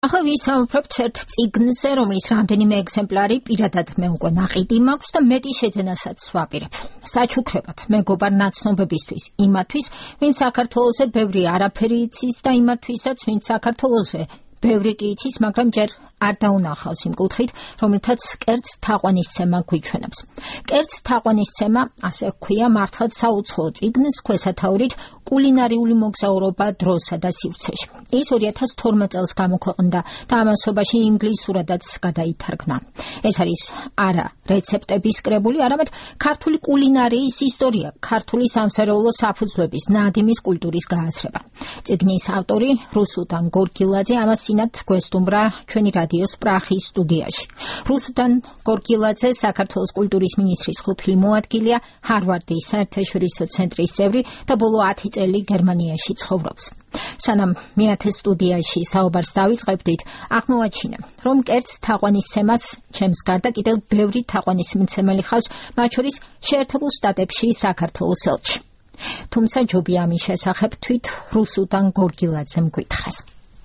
ახლა ვისაუბრებთ ერთ წიგნზე, რომლის რამდენიმე ეგზემპლარი პირადად მე უკვე ნაყიდი მაქვს და მეტი შეძენასაც ვაპირებ. საჩუქრებად მეგობარ ნაცნობებისთვის, იმათვის, ვინც საქართველოზე ბევრი არაფერი იცის და იმათვისაც, ვინც საქართველოზე ბევრი კი იცის, მაგრამ ჯერ არ დაუნახავს იმ კუთხით, რომელთაც კერძ თაყვანისცემა გვიჩვენებს. კერძ თაყვანისცემა, ასე ჰქვია, მართლაც საუცხოო წიგნს ქვესათაურით კულინარიული მოგზაურობა დროსა და სივრცეში. ის 2012 წელს გამოქვეყნდა და ამასობაში ინგლისურადაც გადაითარგმნა. ეს არის არა რეცეპტების კრებული, არამედ ქართული კულინარიის ისტორია, ქართული სამზარეულო საფუძვლების, ნადიმის კულტურის გააცრება. წიგნის ავტორი რუსუდან გორგილაძე ამას სინათ გვესტუმრა ჩვენი რადიოს პრახის სტუდიაში. რუსუდან გორგილაძე საქართველოს კულტურის მინისტრის ყოფილი მოადგილეა, ჰარვარდის საერთაშორისო ცენტრის წევრი და ბოლო 10 წელი გერმანიაში ცხოვრობს. სანამ მეათე სტუდიაში საუბარს დავიწყებდით, აღმოვაჩინე, რომ კერძ თაყვანისცემას ჩემს გარდა კიდევ ბევრი თაყვანისმცემელი ხავს, მათ შორის შეერთებულ შტატებში საქართველოს ელჩი. თუმცა ჯობია ამის შესახებ თვით რუსუდან გორგილაძემ გითხრას.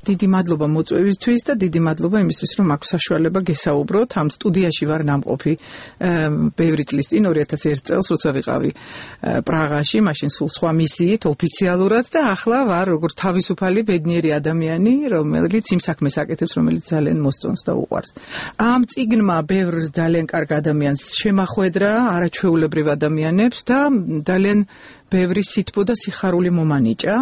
დიდი მადლობა მოწვევისთვის და დიდი მადლობა იმისთვის, რომ აქვს საშუალება გესაუბროთ. ამ სტუდიაში ვარ ნამყოფი ბევრი წლის წინ 2001 წელს, როცა ვიყავი პრაღაში, მაშინ სულ სხვა მისიით ოფიციალურად და ახლა ვარ როგორც თავისუფალი ბედნიერი ადამიანი, რომელიც იმ საქმეს აკეთებს, რომელიც ძალიან მოსწონს და უყვარს. ამ წიგნმა ბევრ ძალიან კარგ ადამიანს შემახვედრა, არაჩვეულებრივ ადამიანებს და ძალიან ბევრი სითბო და სიხარული მომანიჭა.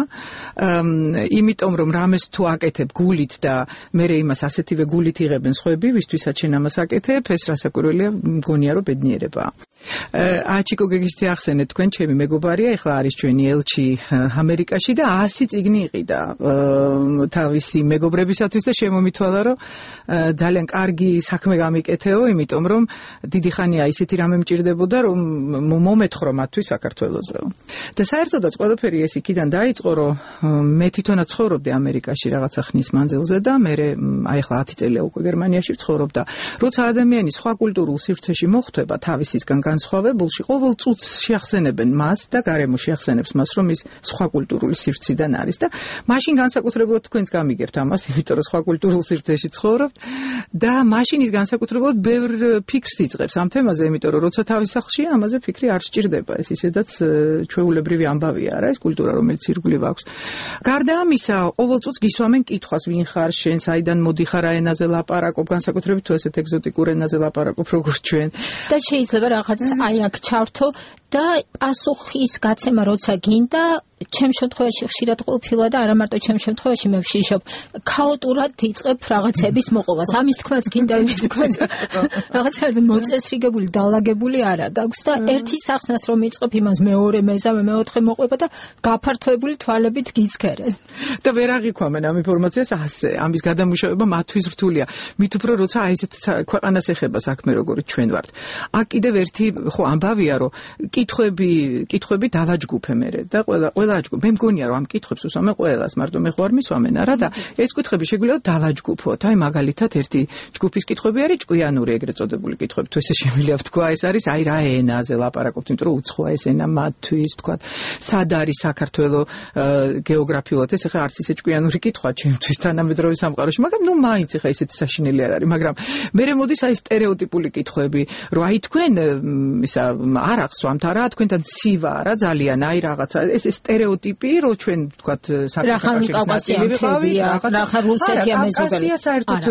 იმიტომ რომ რამეს თუ აკეთებ გულით და მე იმას ასეთივე გულით იღებენ სხვები, ვისთვისაც შენ ამას აკეთებ, ეს რასაკვირველია, მგონია რომ ბედნიერებაა. აჩიკო გეგიშთი ახსენეთ, თქვენ ჩემი მეგობარია, ეხლა არის ჩვენი ელჩი ამერიკაში და 100 წიგნი იყიდა თავისი მეგობრებისათვის და შემომითვალა, რომ ძალიან კარგი საქმე გამიკეთეო, იმიტომ რომ დიდი ხანია ისეთი რამე მჭირდებოდა, რომ მომეთხრო მათთვის საქართველოსზე. და საერთოდაც ყველაფერი ეს იქიდან დაიწყო, რომ მე თვითონაც ცხოვრობდი ამერიკაში რაღაცა ხნის მანძილზე და მე აი ახლა 10 წელია უკვე გერმანიაში ვცხოვრობ და როცა ადამიანი სხვა კულტურულ სივრცეში მოხვდება თავისისგან განსხვავებულში, ყოველ წუთს შეახსენებენ მას და გარემო შეახსენებს მას, რომ ის სხვა კულტურული სივრციდან არის და მაშინ განსაკუთრებულად თქვენს გამიგებთ ამას, იმიტომ რომ სხვა კულტურულ სივრცეში ცხოვრობთ და მაშინ ის განსაკუთრებულად ბევრ ფიქრს იწყებს ამ თემაზე, იმიტომ რომ როცა თავის სახლშია, ამაზე ფიქრი არ სჭირდება, ეს ისედაც ჩვეულებრივი ამბავია რა, ეს კულტურა, რომელიც ირგვლივ აქვს. გარდა ამისა, ყოველ წუთს გისვამენ კითხვას, ვინ ხარ შენ, საიდან მოდიხარ, რა ენაზე ლაპარაკობ, განსაკუთრებით თუ ესეთ ეგზოტიკურ ენაზე ლაპარაკობ, როგორც ჩვენ. და შეიძლება რაღაც აი აქ ჩავთო და პასუხის გაცემა როცა გინდა, ჩემ შემთხვევაში ხშირად ყოფილა და არა მარტო ჩემ შემთხვევაში მე ვშიშობ, ქაოტურად იწყებ რაღაცების მოყოლას. ამის თქმაც გინდა, იმის თქმაც. რაღაცა მოწესრიგებული, დალაგებული არა გაქვს და ერთი სახსნას რომ იწყებ, იმას მეორე, მესამე, მეოთხე მოყვება და გაფართოებული თვალებით გიցქერენ. და ვერ აღიქვამენ ამ ინფორმაციას ასე. ამის გადამუშავება მათთვის რთულია. მით უფრო როცა აი ესეთ ქვეყანას ეხება საქმე, როგორც ჩვენ ვართ. აქ კიდევ ერთი ხო ამბავია, რომ კითხვები დავაჯგუფე მე და ყველა აჯგუფ. მე მგონია რომ ამ კითხვებს უსვამე ყველას, მარტო მე ხوار მისვამენ არა და ეს კითხვები შეგვიძლია დავაჯგუფოთ. აი მაგალითად ერთი ჯგუფის კითხვები არის ჭკვიანური ეგრეთ წოდებული კითხვები. თუ ესე შემიძლია ვთქვა, ეს არის აი რა ენაზე ლაპარაკობთ, იმიტომ რომ უცხოა ეს ენა მათთვის, თქვა, სად არის საქართველო გეოგრაფიულად, ეს ახლა არც ისე ჭკვიანური კითხვა ჩემთვის თანამედროვე სამყაროში, მაგრამ ნუ მაინც ახლა ისეთი საშინელი არ არის, მაგრამ მე მოდის აი სტერეოტიპული კითხვები, რომ აი თქვენ ისა არ ახსვამთ არა, თქვენთან ცივა არა ძალიან, აი რაღაცა ეს სტერეოტიპი, რომ ჩვენ თქვა რაღაცა რუსეთია მეზობელი. საერთოდ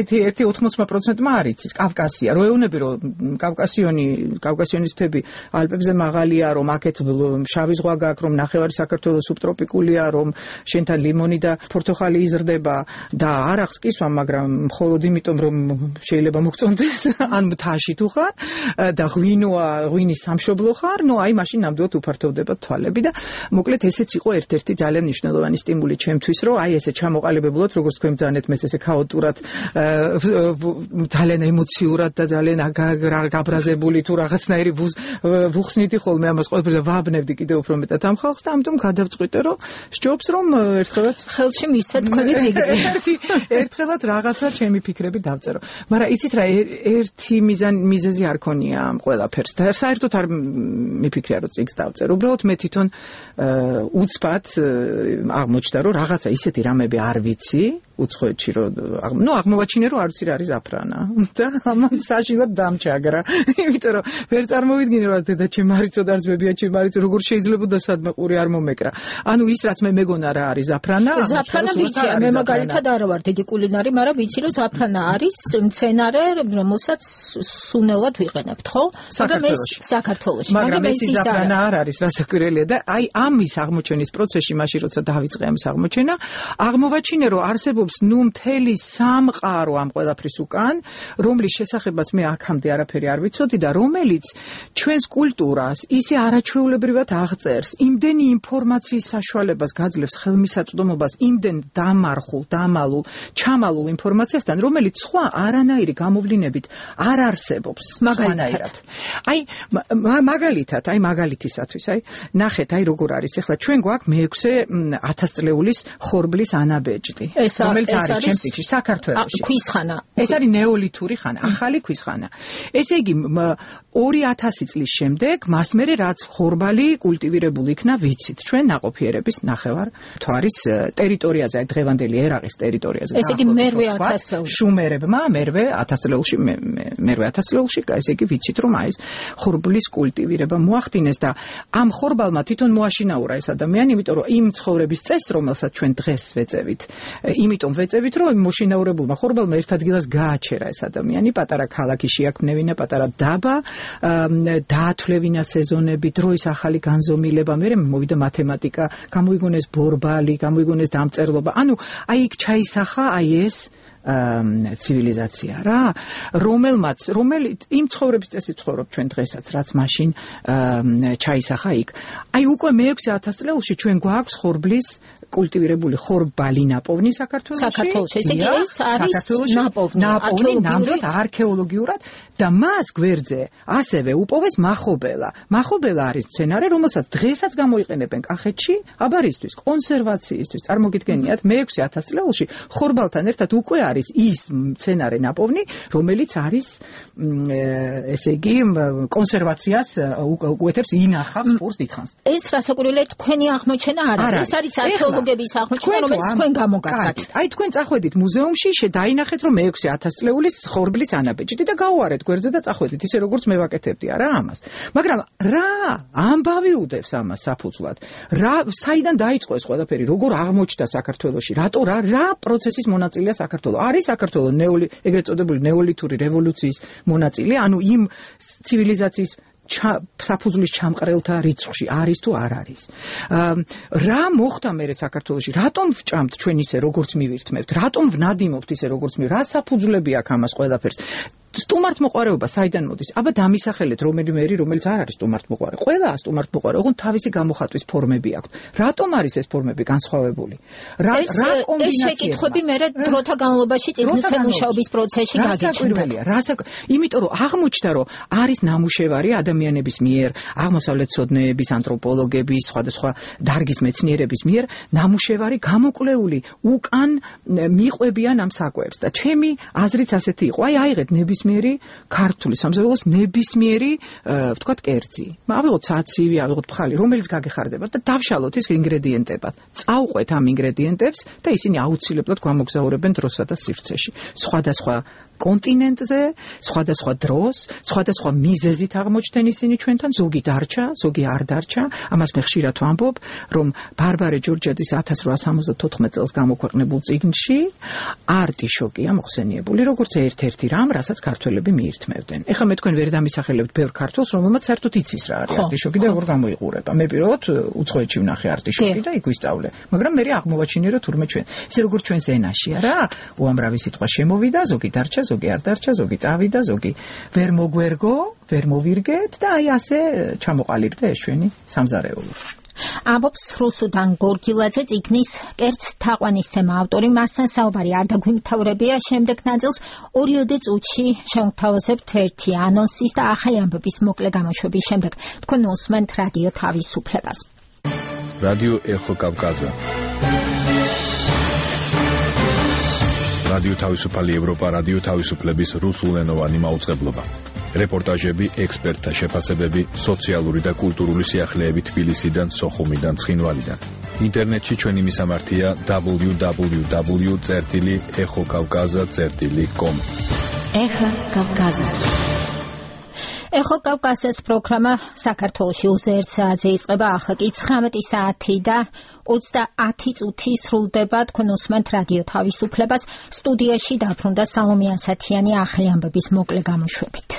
ერთი 80%-მა არ იცის კავკასია. რო ეუბნები რომ კავკასიონის მთები ალპებზე მაღალია, რომ აქეთ შავი ზღვა გაქვს, რომ ნახევარი საქართველოს სუბტროპიკულია, რომ შენთან ლიმონი და ფორტოხალი იზრდება და არ აქვს კისვა, მაგრამ მხოლოდ იმიტომ რომ შეიძლება მოგწონდეს, ან მთაში თუ ხარ და ღვინის სამშობლო ხარ, ნუ აი მაშინ ნამდვილად უფართოვდება თვალები და მოკლედ ესეც იყო ერთ-ერთი ძალიან მნიშვნელოვანი სტიმული ჩემთვის, რომ აი ესე ჩამოყალიბებულად, როგორც თქვენ ბრძანეთ, მე ესე ქაოტურად, ძალიან ემოციურად და ძალიან გაბრაზებული თუ რაღაცნაირი ვუხსნიდი ხოლმე ამას ყველაფერზე ვაბნევდი კიდევ უფრო მეტად ამ ხალხს და ამიტომ გადავწყვიტე, რომ სჯობს რომ ერთხელაც ხელში მისცა თქვენი წიგნი. ერთხელაც რაღაცა ჩემი ფიქრები დავწერო. მაგრამ იცით რა, ერთი მიზეზი არ ქონია ამ ყველაფერს და საერთოდ არ მიფიქრია რომ წიგნს დავწერო. უბრალოდ მე თვითონ უცბად აღმოჩნდა რომ რაღაცა ისეთი რამები არ ვიცი უცხოეთში რომ აღმოვაჩინე რომ არც არის ზაფრანა და ამან საშინლად დამჭაგრა იმიტომ რომ ვერ წარმოვიდგინე რომ დედა ჩემ არიცო და არც ბებია ჩემ არიცო როგორ შეიძლება და სადმე ყური არ მომეკრა ანუ ის რაც მე მეგონა რა არის ზაფრანა ვიცი მე მაგალითად არ ვარ დიდი კულინარი მაგრამ ვიცი რომ ზაფრანა არის მცენარე რომელსაც სუნელად ვიყენებთ ხო საქართველოში მაგრამ ეს ზაფრანა არ არის რასაკვირველია და აი ამის აღმოჩენის პროცესში მაშინ როცა დავიწყე ამის აღმოჩენა აღმოვაჩინე რომ არსებობს მთელი სამყარო ამ ყველაფრის უკან რომლის შესახებაც მე აქამდე არაფერი არ ვიცოდი და რომელიც ჩვენს კულტურას ისე არაჩვეულებრივად აღწერს იმდენი ინფორმაციის საშუალებას გაძლევს ხელმისაწვდომობას იმდენ დამალულ ჩამალულ ინფორმაციასთან რომელიც სხვა არანაირი გამოვლინებით არ არსებობს მაგალითად აი მაგალითისათვის აი ნახეთ აი როგორ არის ახლა ჩვენ გვაქვს მე-6 წლეულის ხორბლის ანაბეჭდი რომელიც არის ჩემს წიგნში საქართველოში ქვის ხანა ეს არის ნეოლითური ხანა ახალი ქვის ხანა ესე იგი 2000 წლის შემდეგ მას მერე რაც ხორბალი კულტივირებული იქნა ვიცით ჩვენ ნაყოფიერების ნახევარ მთვარის ტერიტორიაზე აი დღევანდელი ერაყის ტერიტორიაზე ესე იგი მერვე 1000 წელში შუმერებმა მერვე 1000 წელში მერვე 1000 წელში ესე იგი ვიცით რომ აი ეს ხორბლის კულტივირება მოახდინეს და ამ ხორბალმა თვითონ მოაშინაურა ეს ადამიანი იმიტომ რომ იმ ცხოვრების წესს რომელსაც ჩვენ დღეს ვეწევით იმიტომ ვეწევით რომ მოშინაურებულმა ხორბალმა ერთ ადგილას გააჩერა ეს ადამიანი პატარა ქალაქი შეაქმნევინა პატარა დაბა დაათვლევინა სეზონები დროის ახალი განზომილება მე მოვიდა მათემატიკა გამოიგონეს ბორბალი გამოიგონეს დამწერლობა ანუ აი იქ ჩაისახა აი ეს ცივილიზაცია რა რომელიც იმ ცხოვრების წესით ცხოვრობ ჩვენ დღესაც რაც მაშინ ჩაისახა იქ აი უკვე მე-6000 წელში ჩვენ გვაქვს ხორბლის კულტივირებული ხორბალი ნაპოვნი საქართველოში ესე იგი ეს არის ნაპოვნი ნამდვილად არქეოლოგიურად და მას გვერდზე ასევე უპოვეს მახობელა არის მცენარე რომელსაც დღესაც გამოიყენებენ კახეთში აბარისთვის კონსერვაციისთვის წარმოგიდგენიათ მე-6000 წელში ხორბალთან ერთად უკვე არის ის მცენარე ნაპოვნი რომელიც არის ესე იგი კონსერვაციას უკეთებს ინახავს პურს დიდხანს ეს რასაკვირველია თქვენი აღმოჩენა არა ეს არის არქეოლოგების აღმოჩენა რომელიც თქვენ გამოგაგდათ აი თქვენ წახვედით მუზეუმში დაინახეთ რომ მე-6000 წლეულის ხორბლის ანაბეჭდი და გაუარეთ გვერდზე და წახვედით ისე როგორც მე ვაკეთებდი არა ამას მაგრამ რა ამბავი უდევს ამას საფუძვლად რა საიდან დაიწყო ეს ყველაფერი როგორ აღმოჩნდა საქართველოში რატო რა პროცესის მონაწილეა საქართველო არის საქართველო ეგრეთ წოდებული ნეოლითური რევოლუციის მონაწილე ანუ იმ ცივილიზაციის საფუძვლის ჩამყრელთა რიცხვში არის თუ არ არის რა მოხდა მერე საქართველოში რატომ ვჭამთ ჩვენ ისე როგორც მივირთმევთ რატომ ვნადიმობთ ისე როგორც რა საფუძვლები აქვს ამას ყველაფერს სტუმართმოყვარეობა საიდან მოდის? აბა დამისახელეთ რომელიც არ არის სტუმართმოყვარე. ყველა სტუმართმოყვარე, ოღონდ თავისი გამოხატვის ფორმები აქვს. რატომ არის ეს ფორმები განსხვავებული? რა კომბინაციაა? ეს შეკითხვები მე დროთა განმავლობაში წიგნზე მუშაობის პროცესში გაგიჩნდა. იმიტომ რომ აღმოჩნდა რომ არის ნამუშევარი ადამიანების მიერ, აღმოსავლეთმცოდნეების, ანთროპოლოგების, სხვადასხვა დარგის მეცნიერების მიერ ნამუშევარი გამოკვლეული უკან მიყვებიან ამ საკვებს და ჩემი აზრიც ასეთი იყო. აი აიღეთ ნებისმიერი ქართული სამზარეულოს ნებისმიერი ვთქვათ კერძი. ავიღოთ საცივი, ავიღოთ ფხალი, რომელიც გაგეხარდება და დავშალოთ ის ინგრედიენტებად. წავყვეთ ამ ინგრედიენტებს და ისინი აუცილებლად გვამოგზაურებენ დროსა და სივრცეში. სხვადასხვა კონტინენტზე, სხვადასხვა დროს, სხვადასხვა მიზეზით აღმოჩნდნენ ისინი ჩვენთან, ზოგი დარჩა, ზოგი არ დარჩა. ამას მე ხშირად ვამბობ, რომ ბარბარე ჯორჯაძის 1874 წელს გამოქვეყნებულ წიგნში არტიშოკია მოხსენიებული, როგორც ერთ-ერთი რამ, რასაც ქართველები მიირთმევდნენ. ეხლა მე თქვენ ვერ დამისახელებთ ბევრ ქართველს, რომელმაც საერთოდ იცის რა არის არტიშოკი და როგორ გამოიყურება. მე პირველად უცხოეთში ვნახე არტიშოკი და იქ ვისწავლე. მაგრამ მე აღმოვაჩინე, რომ თურმე ჩვენ, ისე როგორც ჩვენ ზენაშია რა, უამრავი სიტყვა შემოვიდა, ზოგი დარჩა, ზოგი არ დარჩა, ზოგი წავიდა, ზოგი ვერ მოგვერგო, ვერ მოვირგეთ და აი ასე ჩამოყალიბდა ეს ჩვენი სამზარეულო. ამბობს რუსუდან გორგილაძე წიგნის კერძ თაყვანის თემა ავტორი. მასთან საუბარი არ დაგვიმთავრებია. შემდეგ ნაწილს 2 წუთში შევთავაზებთ ერთი ანონსის და ახალი ამბების მოკლე გამოშვების შემდეგ თქვენ უსმენთ რადიო თავისუფლებას. რადიო ეხო კავკაზა. რადიო თავისუფალი ევროპა, რადიო თავისუფლების რუსულენოვანი მაუწყებლობა. რეპორტაჟები, ექსპერტთა შეფასებები, სოციალური და კულტურული სიახლეები თბილისიდან, სოხუმიდან, ცხინვალიდან. ინტერნეტში ჩვენი მისამართია www.ekhokavkaza.com. Echo Kavkaza. Echo Kavkazas პროგრამა საქართველოში უზეირ საათზე იწყება, ახლა კი 19 საათი და 30 წუთი სრულდება. თქვენ უსმენთ რადიო თავისუფლებას. სტუდიაში დაბრუნდა სალომე ასათიანი ახალი ამბების მოკლე გამოშვებით.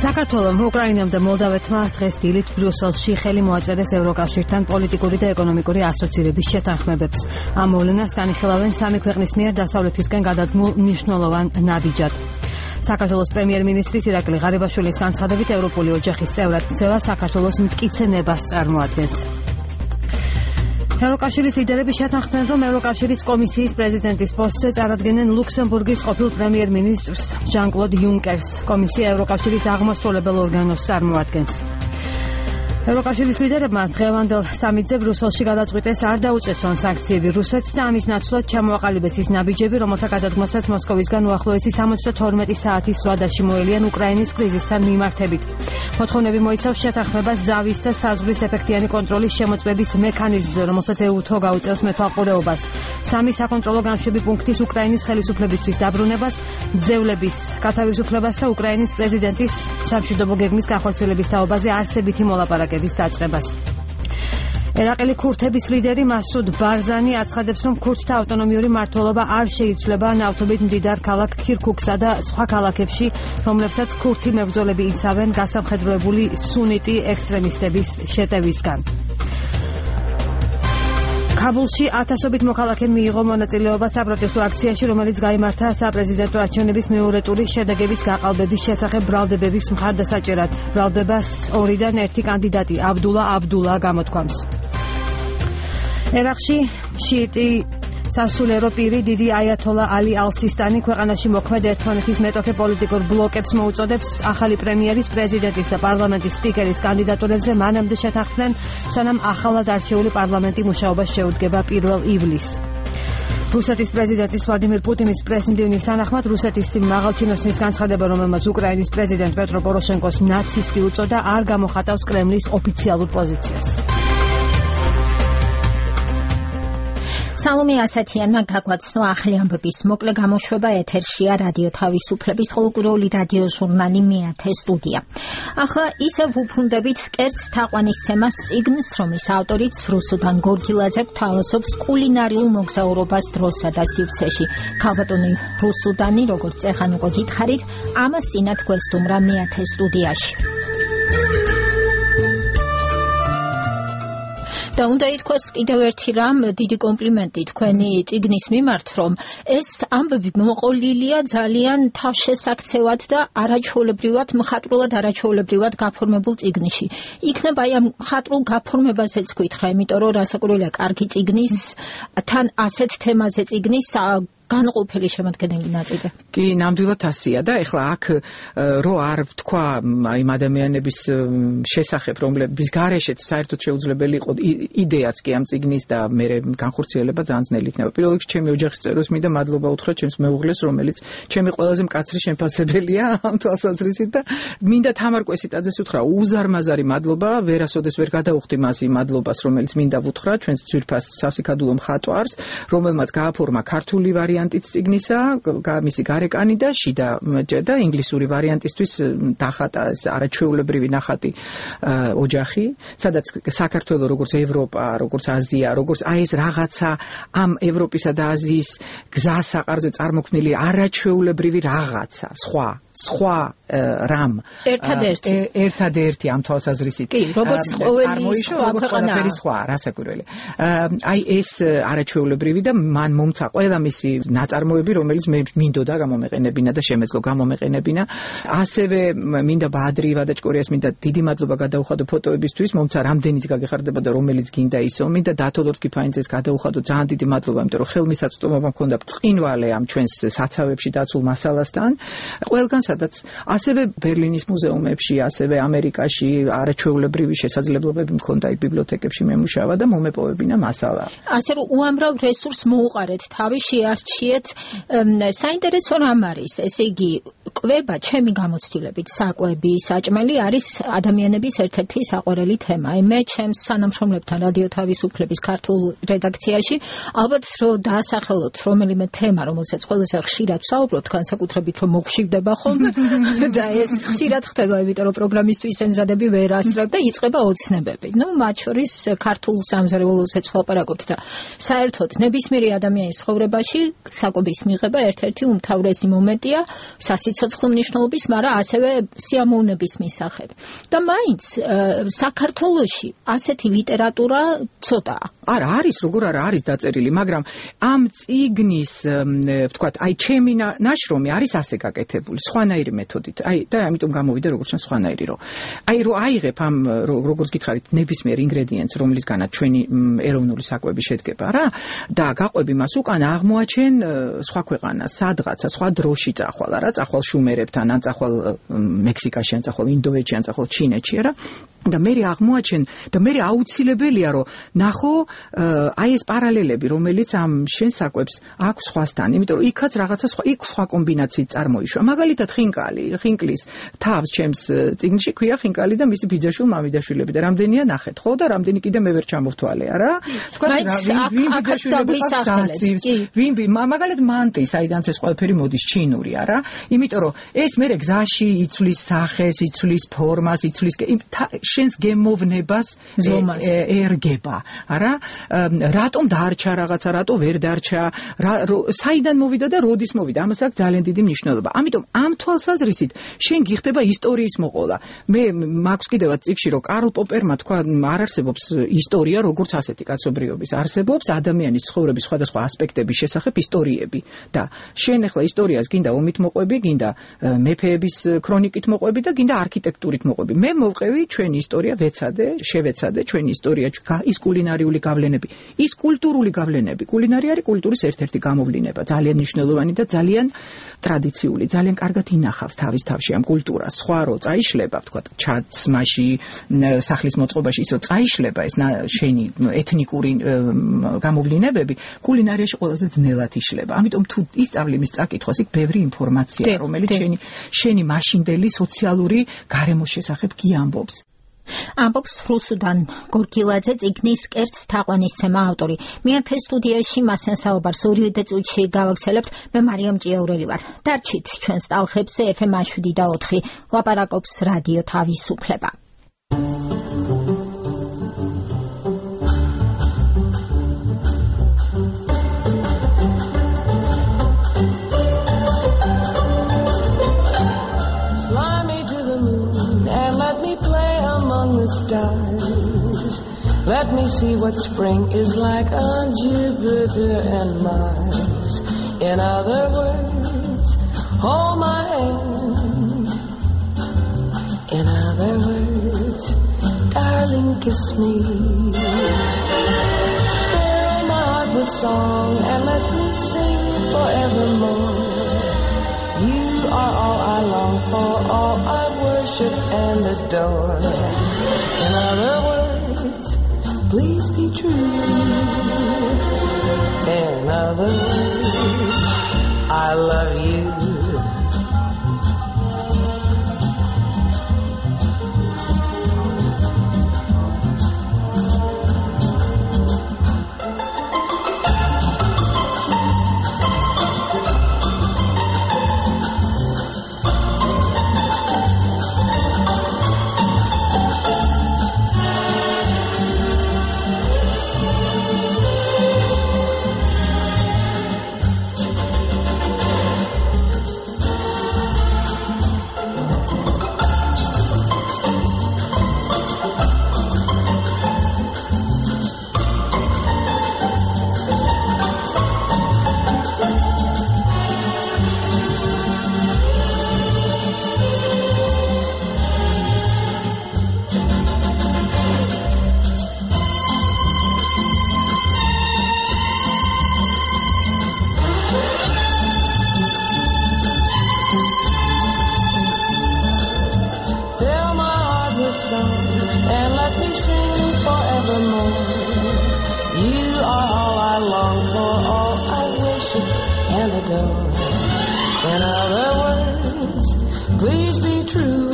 საქართველოს, უკრაინამ და მოლდავეთმა დღეს დილით ბრიუსელში ხელი მოაწერეს ევროკავშირთან პოლიტიკური და ეკონომიკური ასოცირების შეთანხმებებს. ამ მოვლენას განიხილავენ სამი ქვეყნის მიერ დასავლეთისკენ გადადგმულ მნიშვნელოვან ნაბიჯად. საქართველოს პრემიერ-მინისტრის ირაკლი ღარიბაშვილის განცხადებით, ევროპული ოჯახის წევრად ქცევა საქართველოს მტკიცე ნებას წარმოადგენს. ევროკავშირის ლიდერები შეთანხმდნენ, რომ ევროკავშირის კომისიის პრეზიდენტის პოსტზე წარადგენენ ლუქსემბურგის ყოფილ პრემიერ-მინისტრს ჟან-კლოდ იუნკერს. კომისია ევროკავშირის აღმასრულებელ ორგანოს წარმოადგენს. ევროკავშირის ლიდერებმა დღევანდელ სამიტზე ბრიუსელში გადაწყვიტეს არ დაუწესონ სანქციები რუსეთს და ამის ნაცვლად ჩამოაყალიბეს ის ნაბიჯები, რომელთა გადადგმასაც მოსკოვისგან უახლოესი 72 საათის ზღვა შემოელიან უკრაინის კრიზისთან მიმართებით. მოთხოვნები მოიცავს შეთანხმებას ზავის და საზღვრის ეფექტიანი კონტროლის შემოწმების მექანიზმზე, რომელსაც EU-თო გაუწევს მეთვალყურეობას. სამი საკონტროლო განშვები პუნქტის უკრაინის ხელისუფლებისთვის დაბრუნებას, ძევლების გათავისუფლებას და უკრაინის პრეზიდენტის სამშვიდობო გეგმის განხორციელების თაობაზე არსებითი მოლაპარაკების დაწყებას. ერაყელი ქურთების ლიდერი მასუდ ბარზანი აცხადებს, რომ ქურთთა ავტონომიური მმართველობა არ შეიცვლება ნავთობით მდიდარ ქალაქ ქირქუქსა და სხვა ქალაქებში, რომლებსაც ქურთი მებრძოლები იცავენ გასამხედროებული სუნიტი ექსტრემისტების შეტევისგან. კაბულში ათასობით მოქალაქე მიიღო მონაწილეობა საპროტესტო აქციაში, რომელიც გაიმართა საპრეზიდენტო არჩევნების მეორე ტურის შედეგების გაყალბების შესახებ ბრალდებების მხარდასაჭერად. ბრალდებას ორიდან ერთი კანდიდატი აბდულა გამოთქვამს. ერაყში შიიტი სასულიერო პირი დიდი აიათოლა ალი ალ-სისტანი ქვეყანაში მოქმედ ერთმანეთის მეტოქე პოლიტიკურ ბლოკებს მოუწოდებს ახალი პრემიერის, პრეზიდენტის და პარლამენტის სპიკერის კანდიდატურებზე მანამდე შეთანხმდნენ, სანამ ახალად არჩეული პარლამენტი მუშაობას შეუდგება 1 ივლისს. რუსეთის პრეზიდენტის ვლადიმირ პუტინის პრესმდივნის თანახმად, რუსეთის მაღალჩინოსნის განცხადება, რომელმაც უკრაინის პრეზიდენტ პეტრო პოროშენკოს ნაცისტი უწოდა, არ გამოხატავს კრემლის ოფიციალურ პოზიციას. სალომე ასათიანმა გაგვაცნო ახალი ამბების მოკლე გამოშვება. ეთერშია რადიო თავისუფლების ყოველკვირეული რადიო ჟურნალი მეათე სტუდია. ახლა ისევ ვუბრუნდებით კერძ თაყვანისცემას წიგნს, რომლის ავტორიც რუსუდან გორგილაძე გვთავაზობს კულინარიულ მოგზაურობას დროსა და სივრცეში. ქალბატონი რუსუდანი, როგორც ეხან უკვე გითხარით, ამას წინათ გვესტუმრა მეათე სტუდიაში. და უნდა ითქვას კიდევ ერთი რამ, დიდი კომპლიმენტი თქვენი წიგნის მიმართ, რომ ეს ამბები მოყოლილია ძალიან თავშესაქცევად და არაჩვეულებრივად, მხატვრულად არაჩვეულებრივად გაფორმებულ წიგნში. იქნება აი ამ მხატვრულ გაფორმებაზეც გითხრა, იმიტომ რომ რასაკვირველია, კარგი წიგნის, თან ასეთ თემაზე წიგნის განყოფილი შემოქმედელი ნაწილი. კი, ნამდვილად ასია და ეხლა აქ რო არ ვთქვა იმ ადამიანების შესახებ, რომლების გარეშეც საერთოდ შეუძლებელი იყო იდეაც კი ამ წიგნის და მე განხორციელება ძალიან ძნელი იქნება. პირველ რიგში ჩემი ოჯახის წევრებს მინდა მადლობა უთხრა ჩემს მეუღლეს, რომელიც ჩემი ყველაზე მკაცრი შემფასებელია ამ თვალსაზრისით და მინდა თამარ კვესიტაძეს უთხრა უზარმაზარი მადლობა, ვერასოდეს ვერ გადაუხდი მას იმ მადლობას, რომელიც მინდა ვუთხრა ჩვენს ძვირფას სასიკადულო მხატვარს, რომელმაც გააფორმა ქართული ვარიანტიც წიგნისა, მისი გარეკანი და შიდა და ინგლისური ვარიანტისთვის დახატა არაჩვეულებრივი ნახატი ოჯახი, სადაც საქართველოს როგორც ევროპა, როგორც აზია, როგორც აი ეს რაღაცა ამ ევროპისა და აზიის გზასაყარზე წარმოქმნილი არაჩვეულებრივი რაღაცა, სხვა რამ ერთადერთი ამ თვალსაზრისით. კი, როგორც ყოველი სხვა რასაკვირველი. აი ეს არაჩვეულებრივი და მან მომცა ყველა მისი ნაწარმოები, რომელიც მე მინდოდა გამომეყენებინა და შემეძლო გამომეყენებინა. ასევე მინდა ბაადრი ივადაჭკორიას მინდა დიდი მადლობა გადაუხადო ფოტოებისთვის, მომცა რამდენიც გაგეხარდებოდა, რომელიც გინდა ისო. მინდა დათო ლორთქიფაინძეს გადაუხადო ძალიან დიდი მადლობა, იმიტომ რომ ხელმისაწვდომობა მქონდა ბრწყინვალე ამ ჩვენს საცავებში დაცულ მასალასთან. ყველგან სადაც ასევე ბერლინის მუზეუმებში, ასევე ამერიკაში არაჩვეულებრივი შესაძლებლობები მქონდა იქ ბიბლიოთეკებში მემუშავა და მომეპოვებინა მასალა. ასე რომ უამრავ რესურსს მოუყარეთ თავი, შეარჩიეთ. საინტერესო რამ არის, ესე იგი კვება ჩემი გამოცდილებით საკვები, საჭმელი არის ადამიანების ერთ-ერთი საყვარელი თემა. მე ჩემს თანამშრომლებთან რადიო თავისუფლების ქართულ რედაქციაში ალბათ რომ დაასახელოთ რომელიმე თემა, რომელსაც ყველაზე ხშირად ვსაუბრობთ, განსაკუთრებით რომ მოგვშივდება ხოლმე და ეს ხშირად ხდება, იმიტომ რომ პროგრამისტვის ემზადები ვერ ასწრებ და იწყება ოცნებები. მათ შორის ქართულ სამზარეულოსაც ვლაპარაკობთ და საერთოდ ნებისმიერი ადამიანის ცხოვრებაში საკვების მიღება ერთ-ერთი უმთავრესი მომენტია სასიცოცხლო მნიშვნელობის, მაგრამ ასევე სიამოვნების მისაღები. და მაინც საქართველოში ასეთი ლიტერატურა ცოტაა. არა არის, როგორ არა არის დაწერილი, მაგრამ ამ წიგნის, ვთქვათ, ჩემი ნაშრომი არის ასე გაკეთებული, სხვანაირი მეთოდით. და ამიტომ გამოვიდა როგორც ჩანს სხვანაირი, რომ რომ აიღებ ამ როგორც გითხარით, ნებისმიერ ინგრედიენტს, რომლისგანაც ჩვენი ეროვნული საკვები შედგება რა, და გაყვები მას უკან აღმოაჩენ სხვა ქვეყანას, სადღაცა, სხვა დროში წახვალ, რა, წახვალ შუმერებთან, ან წახვალ მექსიკაში, ან წახვალ ინდოეთში, ან წახვალ ჩინეთში, რა. და მე აღმოაჩენ და მე აუცილებელია რომ ნახო აი ეს პარალელები რომელიც ამ შენ საკვებს აქვს სხვასთან, იმიტომ რომ იქაც რაღაცა სხვა კომბინაციით წარმოიშვა. მაგალითად ხინკლის თავს ჩემს წიგნში ქვია ხინკალი და მისი ბიძაშვილ მამიდაშვილები და რამდენია ნახეთ ხო და რამდენი კიდე მე ვერ ჩამოვთვალე არა. თქვა ვინ მაგალითად მანტი საიდანაც ეს ყველაფერი მოდის ჩინური არა, იმიტომ რომ ეს მე გზაში იცვლის სახეს, იცვლის ფორმას, იცვლის შენს გემოვნებას ერგება, არა? რატომ დარჩა რაღაცა, რატო ვერ დარჩა, საიდან მოვიდა და როდის მოვიდა, ამას აქვს ძალიან დიდი მნიშვნელობა. ამიტომ ამ თვალსაზრისით შენ გიხდება ისტორიის მოყოლა. მე მაქვს კიდევაც წიგნში რომ კარლ პოპერმა თქვა არ არსებობს ისტორია როგორც ასეთი კაცობრიობის, არსებობს ადამიანის ცხოვრების სხვადასხვა ასპექტების შესახებ ისტორიები და შენ ახლა ისტორიას გინდა ომით მოყვები, გინდა მეფეების ქრონიკით მოყვები და გინდა არქიტექტურით მოყვები. მე მოვყევი ჩვენი ისტორია შევეცადე ჩვენი ისტორია, ის კულინარიული გავლენები, ის კულტურული გავლენები. კულინარია არის კულტურის ერთ-ერთი გამოვლინება, ძალიან მნიშვნელოვანი და ძალიან ტრადიციული, ძალიან კარგად ინახავს თავის თავში ამ კულტურას. სხვა რო წაიშლება, ვთქვათ, ჩაცმაში, სახლის მოწყობაში, ის რო წაიშლება ეს შენი ეთნიკური გამოვლინებები, კულინარიაში ყველაზე ძნელად იშლება. ამიტომ თუ ისწავლი მის წაკითხვას, იქ ბევრი ინფორმაცია, რომელიც შენი მაშინდელი სოციალური გარემოს შესახებ კი ამბობს. ამბობს რუსუდან გორგილაძე, წიგნის კერძ თაყვანისცემა ავტორი. მეათე სტუდიაში მასთან საუბარს 2 წუთში გავაგრძელებთ. მე მარიამ ჭიაურელი ვარ. დარჩით ჩვენს ტალხებზე FM 7 და 4 ლაპარაკობს რადიო თავისუფლება. Stars. Let me see what spring is like on Jupiter and Mars. In other words, hold my hand. In other words, darling, kiss me. Fill my heart with song and let me sing forevermore. You are all I long for, all I worship and adore. In other words, please be true. In other words, I love you. In other words, please be true.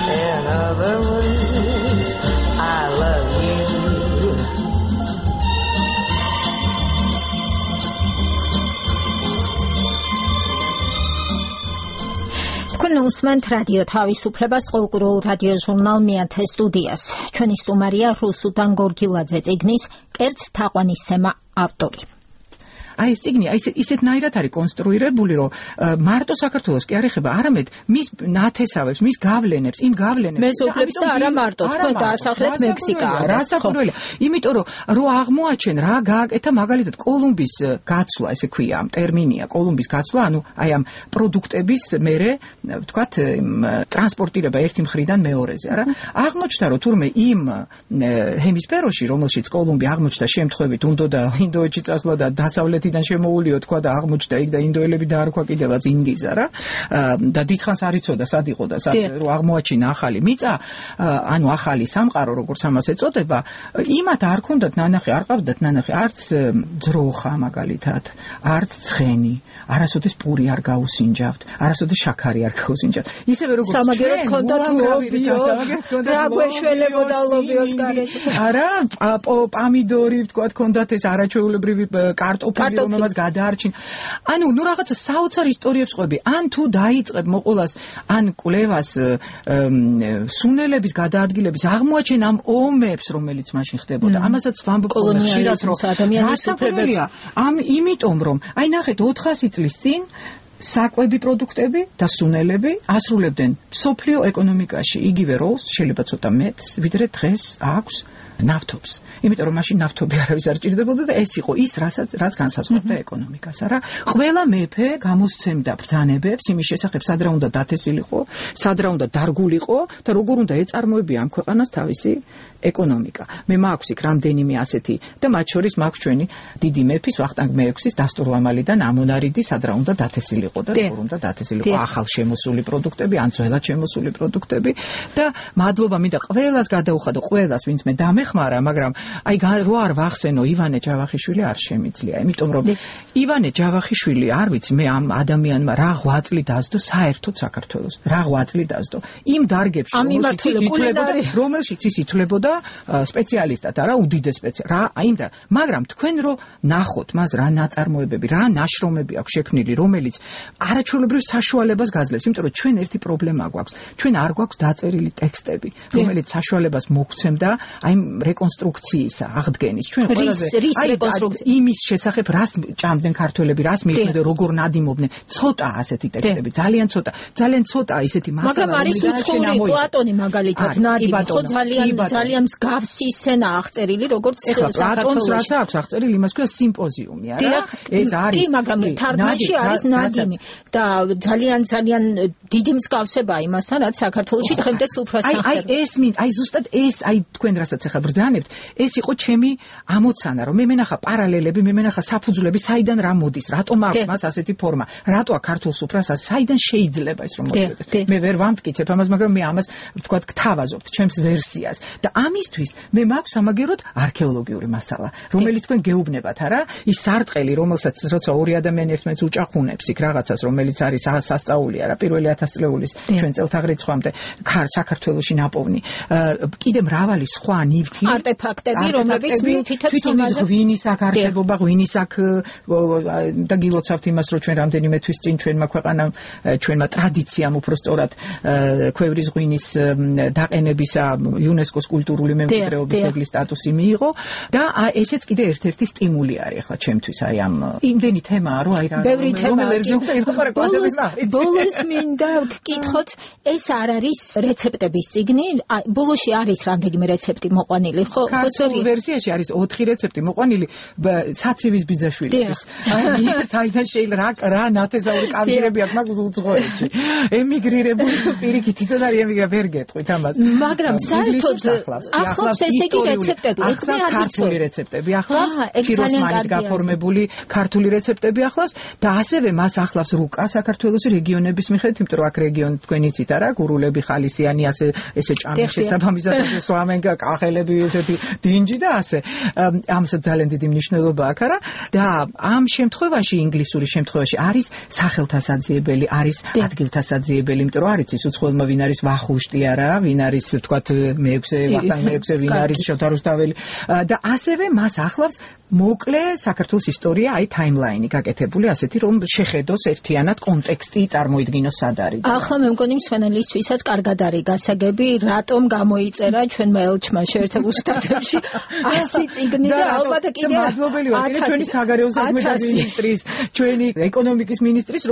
In other words, I love you. უსმენთ რადიო თავისუფლებას ყოლკურულ რადიო ჟურნალ მეათე სტუდიას. ჩვენი სტუმარია რუსუდან გორგილაძე, წიგნის კერძ თაყვანისცემა ავტორი. აი ეს წიგნი ისეთნაირად არის კონსტრუირებული, რომ მარტო საქართველოს კი არ ეხება, არამედ მის ნათესავებს, მის გავლენებს, იმ გავლენებს მეზობლებს და არა მარტო თქვენ დაასახლეთ მექსიკა. რასაკვირველია, იმიტომ რომ აღმოაჩენ რა გააკეთა მაგალითად კოლუმბის გაცვლა, ესე ქვია, ამ ტერმინია კოლუმბის გაცვლა, ანუ აი ამ პროდუქტების მერე ვთქვათ ტრანსპორტირება ერთი მხრიდან მეორეზე, არა? აღმოჩნდა რომ თურმე იმ ჰემისფეროში, რომელშიც კოლუმბი აღმოჩნდა შემთხვევით, უნდა ინდოეთში წასვლა და დასავლეთ შემოულიო თქვა და აღმოჩნდა იქ და ინდოელები დაარქვა კიდევაც ინდიზა რა და დიდხანს არ იცოდა სად იყო და სად რომ აღმოაჩინა ახალი მიწა ანუ ახალი სამყარო როგორც ამას ეწოდება იმათ არ ქონდათ ნანახი არ ყავდათ ნანახი არც ძროხა მაგალითად არც ცხენი არასოდეს პური არ გაუსინჯავთ არასოდეს შაქარი არ გაუსინჯავთ ისევე როგორც სამაგერად ქონდათ ლობიო რა გვეშველებოდა ლობიოს გარეშე არა პამიდორი თქვა ქონდათ ეს არაჩვეულებრივი კარტოფილი რომელსაც გადაარჩინ. ანუ ნუ რაღაცა საოცარ ისტორიებს ყვები. ან თუ დაიწყებ მოყოლას, ან კვლევას სუნელების გადაადგილების აღმოაჩენ ამ ომებს, რომელიც მაშინ ხდებოდა. ამასაც ვამბობ ხშირად რომ რასაკვირველია. იმიტომ რომ აი ნახეთ 400 წლის წინ საკვები პროდუქტები და სუნელები ასრულებდნენ სოფლიო ეკონომიკაში იგივე როლს, შეიძლება ცოტა მეტს, ვიდრე დღეს აქვს ნავთობს. იმიტომ რომ მაშინ ნავთობი არავის არ ჭირდებოდა და ეს იყო ის, რაც განსაზღვრავდა ეკონომიკას, არა? ყველა მეფე გამოსცემდა ბრძანებებს იმის შესახებ, სად რა უნდა დათესილიყო, სად რა უნდა დარგულიყო და როგორ უნდა ეწარმოებია ამ ქვეყანას თავისი ეკონომიკა. მე მაქვს იქ რამდენიმე ასეთი და მათ შორის მაქვს ჩვენი დიდი მეფის ვახტანგ მე-6-ის დასტურლამალიდან ამონარიდი, სად რა უნდა დათესილიყო და როგორ უნდა დათესილიყო ახალ შემოსული პროდუქტები, ან ძველად შემოსული პროდუქტები და მადლობა მინდა ყველას გადაუხადო, ყველას, ვინც მე დამეხმარა, მაგრამ აი რო არ ვახსენო ივანე ჯავახიშვილი არ შემიძლია, იმიტომ რომ ივანე ჯავახიშვილი არ ვიცი მე ამ ადამიანმა რა ღვაწლი დასდო საერთოდ საქართველოს, რა ღვაწლი დასდო იმ დარგებში, რომელშიც ის ითვლებოდა სპეციალისტად, არა უდიდეს სპეციალისტად. რა აიმდა, მაგრამ თქვენ რო ნახოთ მას რა ნაწარმოებები, რა ნაშრომები აქვს შექმნილი, რომელიც არაჩვეულებრივ საშუალებას გაძლევს, იმიტომ რომ ჩვენ ერთი პრობლემა გვაქვს. ჩვენ არ გვაქვს დაწერილი ტექსტები, რომელიც საშუალებას მოგცემდა აი რეკონსტრუქციისა, აღდგენის. ჩვენ ყველაზე იმის შესახებ რას ჭამდნენ ქართველები, რას მიიხდნენ, როგორ ნადიმობდნენ, ცოტა ასეთი ტექსტები, ძალიან ცოტა ისეთი მასალა, მაგრამ არის უცხოური პლატონი მაგალითად ნადიმი, ხო ძალიან მსგავსი სცენა აღწერილი, როგორც საქართველოში. რაც აქვს აღწერილი, იმას ქვია სიმპოზიუმი, არა? ეს არის. კი, მაგრამ თარგმანში არის ნადიმი და ძალიან დიდი მსგავსება იმასთან, რაც საქართველოში დღემდე სუფრას ახერხებს. აი ზუსტად ეს, აი თქვენ რასაც ახლა ბრძანებთ, ეს იყო ჩემი ამოცანა, რომ მე მენახა პარალელები, მე მენახა საფუძვლები, საიდან რა მოდის, რატომ აქვს მას ასეთი ფორმა, რატო აქ ქართულ სუფრას საიდან შეიძლება ის რომ მოდიოდეს. მე ვერ ვამტკიცებ ამას, მაგრამ მე ამას ვთქვათ გთავაზობთ ჩემს ვერსიას. და ამისთვის მე მაქვს სამაგეროდ არქეოლოგიური მასალა, რომელიც თქვენ გეუბნებათ, არა? ის სარტყელი, რომელსაც როცა ორი ადამიანი ერთმანეთს უჭახუნებს იქ რაღაცას, რომელიც არის სასწაული, არა? პირველი 1000 წლეულის ჩვენ წელთაღრიცხვამდე საქართველოში ნაპოვნი. კიდე მრავალი სხვა ნივთი, არტეფაქტები, რომლებიც მიუთითებს იმაზე, ღვინის აქ არსებობა, ღვინის აქ და გილოცავთ იმას, რომ ჩვენ რამდენიმე თვის წინ ჩვენმა ქვეყანამ, ჩვენმა ტრადიციამ უბრალოდ ქვევრის ღვინის დაყენებისა იუნესკოს კულტურული მემკვიდრეობის ძეგლის სტატუსი მიიღო და ესეც კიდე ერთ-ერთი სტიმული არის ახლა ჩემთვის აი ამ იმდენი თემაა რომ აი რა ბოლოს მინდა გკითხოთ ეს არ არის რეცეპტების წიგნი ბოლოში არის რამდენიმე რეცეპტი მოყვანილი ხო ქართულ ვერსიაში არის 4 რეცეპტი მოყვანილი საცივის ბიძაშვილების საიდან შეიძლება რა ნათესაური კავშირები აქვს მაგ უცხოეთში ემიგრირებული თუ პირიქით იცოდა ემიგრა ვერ გეტყვით ამას მაგრამ საერთოდ ახლავს ესე იგი რეცეპტები, ახლავს ქართული რეცეპტები, ახლავს ფიროსმანით გაფორმებული ქართული რეცეპტები ახლავს და ასევე მას ახლავს რუკა საქართველოს რეგიონების მიხედვით, იმიტომ რომ აქ რეგიონი თქვენ იცით არა, გურულები, ხალისიანი, ესე ჭამი შესაბამისად სვამენგა, კახელები, ესეთი დინჯი და ასე. ამასაც ძალიან დიდი მნიშვნელობა აქვს არა და ამ შემთხვევაში ინგლისური შემთხვევაში არის სახელთასაძიებელი, არის ადგილთასაძიებელი, იმიტომ რომ არის ის უცხოელმა ვინ არის ვახუშტი არა, ვინ არის თქვათ მეექვსე, ვახტანგ მეექვსე, ვინ არის შოთა რუსთაველი და ასევე მას ახლავს მოკლე საქართველოს ისტორია, აი ტაიმლაინი გაკეთებული, ასეთი რომ შეხედოს ერთიანად კონტექსტი წარმოიდგინოს სად არის. ახლა მე მგონი მსმენელისთვისაც კარგად არის გასაგები, რატომ გამოიწერა ჩვენმა ელჩმა შეერთებულ შტატებში 100 წიგნი და ალბათ კიდე მადლობელი ვარ კიდე ჩვენი საგარეო საქმეთა მინისტრის, ჩვენი ეკონომიკის მინისტრის,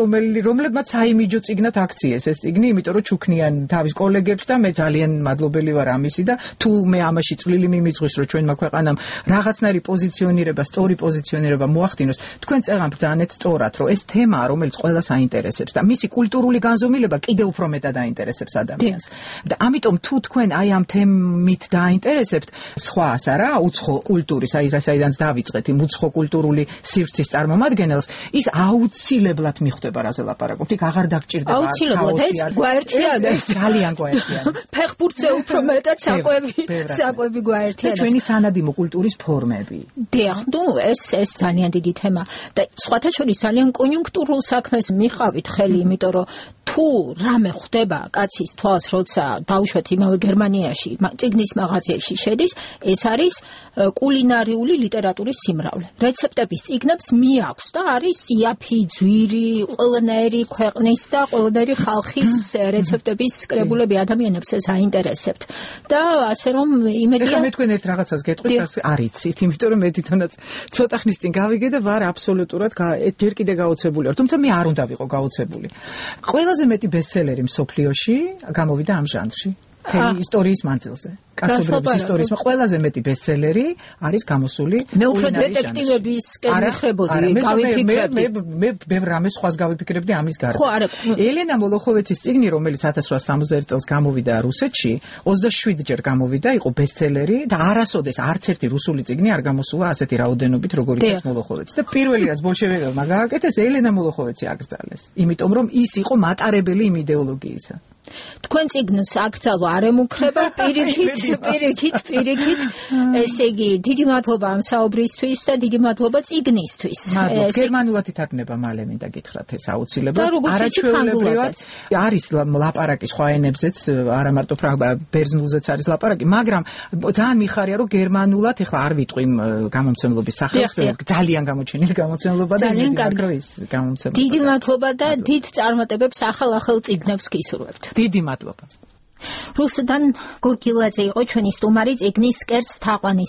რომლებმაც საიმიჯო წიგნად აქციეს ეს წიგნი, იმიტომ რომ ჩუქნიან თავის კოლეგებს და მე ძალიან მადლობელი ვარ ამისი და თუ მე ამაში წვლილი მიმიძღვის რომ ჩვენმა ქვეყანამ რაღაცნაირი პოზიციონირება, სწორი პოზიციონირება მოახდინოს, თქვენ წერან ბრძანეთ სწორად, რომ ეს თემაა, რომელიც ყველას აინტერესებს და მისი კულტურული განზომილება კიდევ უფრო მეტად აინტერესებს ადამიანს. და ამიტომ თუ თქვენ აი ამ თემით დააინტერესებთ, სხვას არა, უცხო კულტურის, აი რასაც დავიწყეთ, იმ უცხო კულტურული სივრცის წარმომადგენელს, ის აუცილებლად მიხვდება რაზე ლაპარაკობთ. იქ აღარ დაგჭირდება აუცილებლად ეს გვაერთიანებს, ძალიან გვაერთიანებს. ფეხბურთზე უფრო მეტად საკვები გვაერთიანებს. ჩვენი სანადიმო კულტურის ფორმები. დიახ, ნუ ეს ძალიან დიდი თემა და სხვათა შორის ძალიან კონიუნქტურულ საქმეს მიყავით ხელი, იმიტომ რომ თუ რამე ხდება კაცის თვალს, როცა დავუშვათ იმავე გერმანიაში, წიგნის მაღაზიაში შედის, ეს არის კულინარიული ლიტერატურის სიმრავლე. რეცეპტების წიგნებს მიაქვს და არის იაფი, ძვირი, ყველანაირი ქვეყნის და ყველანაირი ხალხის რეცეპტების კრებულები ადამიანებს ეს აინტერესებთ. და ასე რომ იმედია ეხლა მე თქვენ ერთ რაღაცას გეტყვით, ასე არიცით, იმიტომ რომ მე თვითონაც ცოტა ხნის წინ გავიგე და ვარ აბსოლუტურად ჯერ კიდე გაოცებული ვარ, თუმცა მე არ უნდა ვიყო გაოცებული. ყველაზე მეტი ბესტსელერი მსოფლიოში გამოვიდა ამ ჟანრში. თემი ისტორიის მანძილზე. კაცობრიობის ისტორიის ყველაზე მეტი ბესტსელერი არის გამოსული. მე უფრო დეტექტივებისკენ მიხრებოდი, გავიფიქრებდი. მე ბევრ რამეს სხვას გავიფიქრებდი ამის გარდა. ელენა მოლოხოვეცის წიგნი, რომელიც 1861 წელს გამოვიდა რუსეთში, 27 ჯერ გამოვიდა, იყო ბესტსელერი და არასოდეს არც ერთი რუსული წიგნი არ გამოსულა ასეთი რაოდენობით, როგორიც მოლოხოვეცი. და პირველი რაც ბოლშევიკებმა გააკეთეს, ელენა მოლოხოვეცი აკრძალეს. იმიტომ რომ ის იყო მატარებელი იმ იდეოლოგიისა. თქვენ წიგნს აკრძალვა არ ემუქრება, პირიქით. ესე იგი, დიდი მადლობა ამ საუბრისთვის და დიდი მადლობა წიგნისთვის. გერმანულად ითარგმნება მალე მინდა გითხრათ ეს აუცილებლად. არაჩვეულებრივად არის ლაპარაკი სხვა ენებზეც, არა მარტო ბერძნულზეც არის ლაპარაკი, მაგრამ ძალიან მიხარია რომ გერმანულად ეხლა არ ვიტყვი გამომცემლობის სახელს, ძალიან გამოჩენილი გამომცემლობა და დიდი მადლობა და დიდ წარმატებებს ახალ წიგნებს გისურვებთ. დიდი მადლობა. რუსუდან გურგილაძე იყო ჩვენი სტუმარი წიგნის კერძ თაყვანის